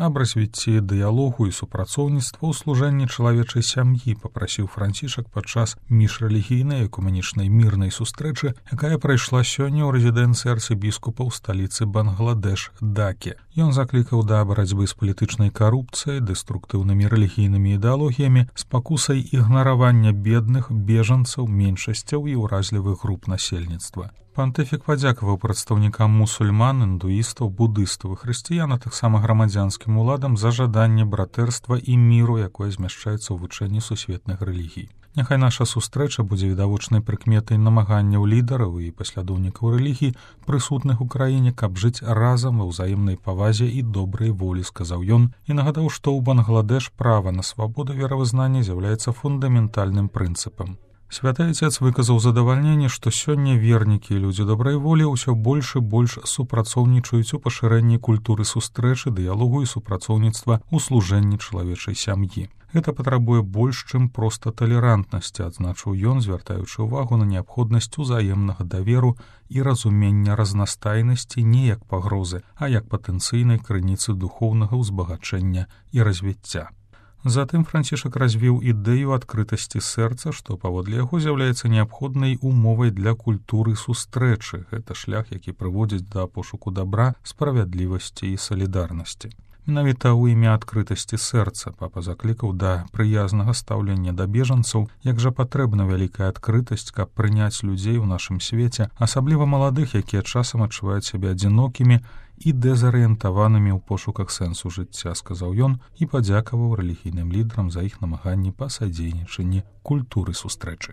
аб развіцці дыялогу і супрацоўніцтва ў служэнні чалавечай сям'і, папрасіў Францішак падчас міжрэлігійнай экумэнічнай мірнай сустрэчы, якая прайшла сёння ў рэзідэнцыі арцыбіскупа ў сталіцы Бангладеш Даке. Ён заклікаў да барацьбы з палітычнай карупцыяй, дэструктыўнымі рэлігійнымі ідэалогіямі, спакусай ігнаравання бедных, бежанцаў, меншасцяў і ўразлівых груп насельніцтва. Пантыфік падзякаваў прадстаўнікам мусульман, індуістаў, будыстаў і хрысціян, а таксама грамадзянскім уладам за жаданне братэрства і міру, якое змяшчаецца ў вучэнні сусветных рэлігій. Няхай наша сустрэча будзе відавочнай прыкметай намаганняў лідараў і паслядоўнікаў рэлігій, прысутных у краіне, каб жыць разам ва ўзаемнай павазе і добрай волі, сказаў ён, і нагадаў, што ў Бангладеш права на свабоду веравызнання з'яўляецца фундаментальным прынцыпам. Святы Ацец выказаў задавальненне, што сёння вернікі і людзі добрай волі ўсё больш і больш супрацоўнічаюць у пашырэнні культуры сустрэчы, дыялогу і супрацоўніцтва ў служэнні чалавечай сям'і. Гэта патрабуе больш, чым проста талерантнасці, адзначыў ён, звяртаючы ўвагу на неабходнасць узаемнага даверу і разумення разнастайнасці не як пагрозы, а як патэнцыйнай крыніцы духоўнага ўзбагачэння і развіцця. Затым Францішак развіў ідэю адкрытасці сэрца, што паводле яго з'яўляецца неабходнай умовай для культуры сустрэчы. Гэта шлях, які прыводзіць да пошуку дабра, справядлівасці і салідарнасці. Менавіта ў імя адкрытасці сэрца папа заклікаў да прыязнага стаўлення да бежанцаў, як жа патрэбна вялікая адкрытасць, каб прыняць людзей у нашым свеце, асабліва маладых, якія часам адчуваюць сябе адзінокімі і дэзарыентаванымі ў пошуках сэнсу жыцця, сказаў ён і падзякаваў рэлігійным лідарам за іх намаганні па садзейнічанні культуры сустрэчы.